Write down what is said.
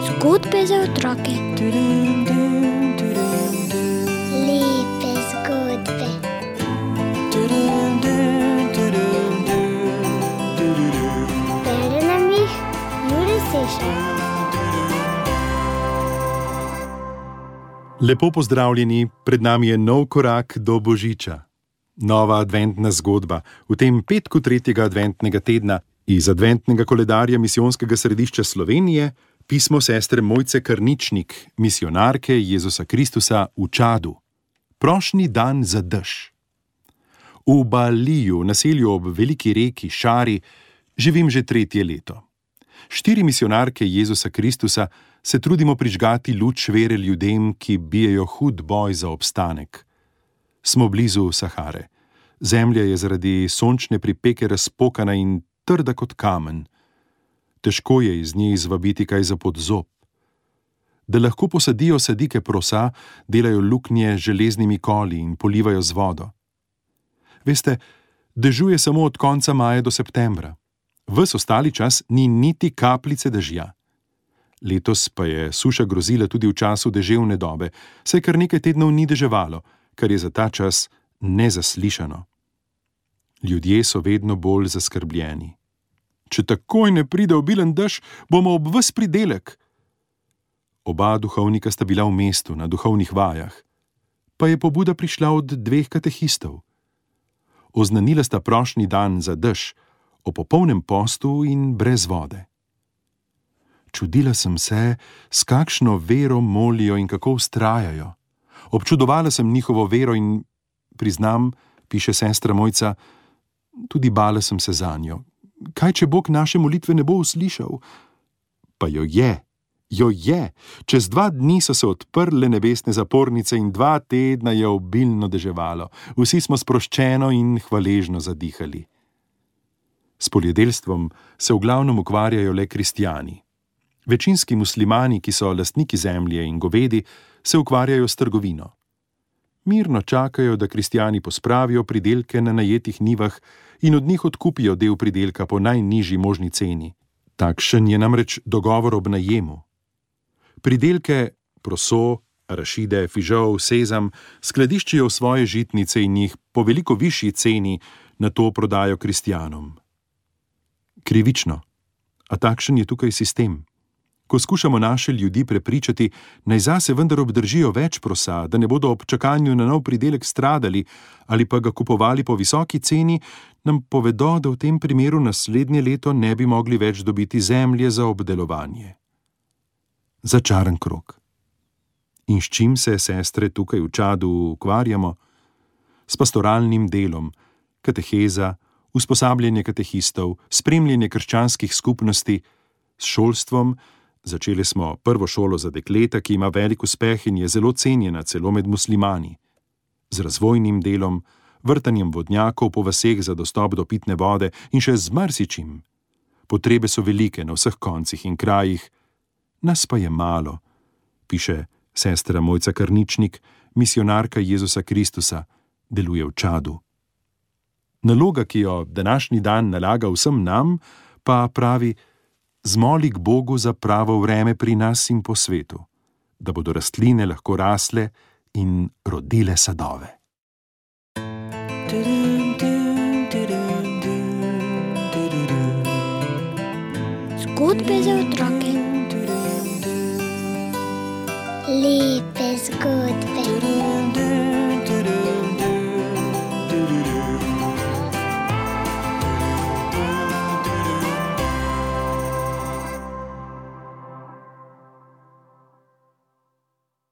Zgodbe za otroke. Lepe zgodbe. Bere nam jih Jure Sešar. Lepo pozdravljeni, pred nami je nov korak do Božiča. Nova adventna zgodba v tem petku 3. adventnega tedna iz adventnega koledarja Misijonskega središča Slovenije, pismo sestre Mojce Karničnik, misijonarke Jezusa Kristusa v Čadu. Prošnji dan za dež. V Baliju, naselju ob veliki reki Šari, živim že 3. leto. 4 misijonarke Jezusa Kristusa se trudimo prižgati luč vere ljudem, ki bijejo hud boj za obstanek. Smo blizu Sahare. Zemlja je zaradi sončne pripeke razpokana in trda kot kamen. Težko je iz nje izvabiti kaj za pod zob. Da lahko posadijo sadike prosa, delajo luknje z železnimi koli in polivajo z vodo. Veste, dežuje samo od konca maja do septembra. Ves ostali čas ni niti kapljice dežja. Letos pa je suša grozila tudi v času deževne dobe, saj kar nekaj tednov ni deževalo, kar je za ta čas nezaslišano. Ljudje so vedno bolj zaskrbljeni. Če takoj ne pride obilen dež, bomo ob ves pridelek. Oba duhovnika sta bila v mestu na duhovnih vajah, pa je pobuda prišla od 2 katehistov. Oznanila sta prošnji dan za dež, o popolnem postu in brez vode. Čudila sem se, s kakšno vero molijo in kako vztrajajo. Občudovala sem njihovo vero in, priznam, piše sestra Mojca, tudi bala sem se zanjo. Kaj, če Bog naše molitve ne bo uslišal? Pa jo je. Čez 2 dni so se odprle nebesne zapornice in 2 tedna je obilno deževalo. Vsi smo sproščeno in hvaležno zadihali. S poljedelstvom se v glavnem ukvarjajo le kristjani. Večinski muslimani, ki so lastniki zemlje in govedi, se ukvarjajo s trgovino. Mirno čakajo, da kristjani pospravijo pridelke na najetih njivah in od njih odkupijo del pridelka po najnižji možni ceni. Takšen je namreč dogovor ob najemu. Pridelke, proso, arašide, fižol, sezam skladiščijo v svoje žitnice in jih po veliko višji ceni nato prodajo kristjanom. Krivično, a takšen je tukaj sistem. Ko skušamo naše ljudi prepričati, naj zase vendar obdržijo več prosa, da ne bodo ob čakanju na nov pridelek stradali ali pa ga kupovali po visoki ceni, nam povedo, da v tem primeru naslednje leto ne bi mogli več dobiti zemlje za obdelovanje. Začaran krog. In s čim se sestre tukaj v Čadu ukvarjamo? S pastoralnim delom, kateheza, usposabljanje katehistov, spremljanje krščanskih skupnosti, s šolstvom. Začeli smo prvo šolo za dekleta, ki ima velik uspeh in je zelo cenjena celo med muslimani. Z razvojnim delom, vrtanjem vodnjakov po vaseh za dostop do pitne vode in še z marsičim. Potrebe so velike na vseh koncih in krajih, nas pa je malo, piše sestra Mojca Karničnik, misijonarka Jezusa Kristusa, deluje v Čadu. Naloga, ki jo današnji dan nalaga vsem nam, pa pravi: zmoli k Bogu za pravo vreme pri nas in po svetu, da bodo rastline lahko rasle in rodile sadove. Zgodbe za otroke. Lepe zgodbe.